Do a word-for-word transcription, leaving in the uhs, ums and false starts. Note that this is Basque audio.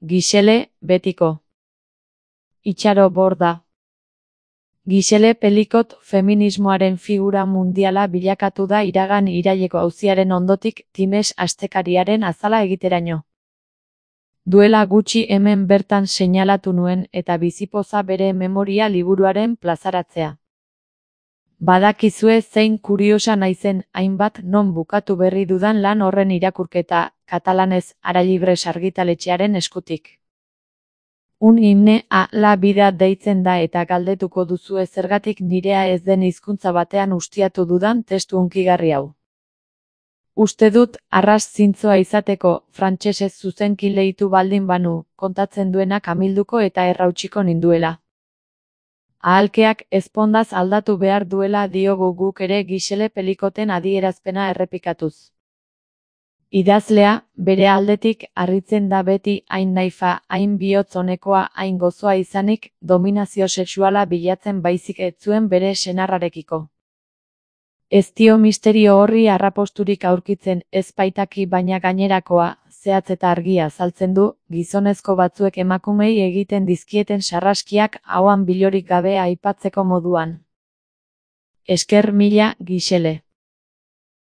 Gisele, betiko. Itxaro Borda. Gisele Pelicot feminismoaren figura mundiala bilakatu da iragan iraileko auziaren ondotik Times astekariaren azala egiteraino. Duela gutxi hemen bertan seinalatu nuen eta bizipoza bere memoria liburuaren plazaratzea. Badakizue zein kuriosa naizen, hainbat non bukatu berri dudan lan horren irakurketa, katalanez Aralibres argitaletxearen eskutik. Un himne a la vida deitzen da eta galdetuko duzue zergatik nirea ez den hizkuntza batean ustiatu dudan testu hunkigarri hau. Uste dut, arras zintzoa izateko, frantsesez zuzenki leitu baldin banu, kontatzen duenak amilduko eta errautsiko ninduela. Ahalkeak ezpondaz aldatu behar duela diogu guk ere Gisele Pelicoten adierazpena errepikatuz. Idazlea, bere aldetik, harritzen da beti hain naifa, hain bihotz onekoa, hain gozoa izanik, dominazio sexuala bilatzen baizik ez zuen bere senarrarekiko. Ez dio misterio horri arraposturik aurkitzen, ez baitaki baina gainerakoa, zehatz eta argia azaltzen du, gizonezko batzuek emakumei egiten dizkieten sarraskiak ahoan bilorik gabe aipatzeko moduan. Esker mila, Gisele.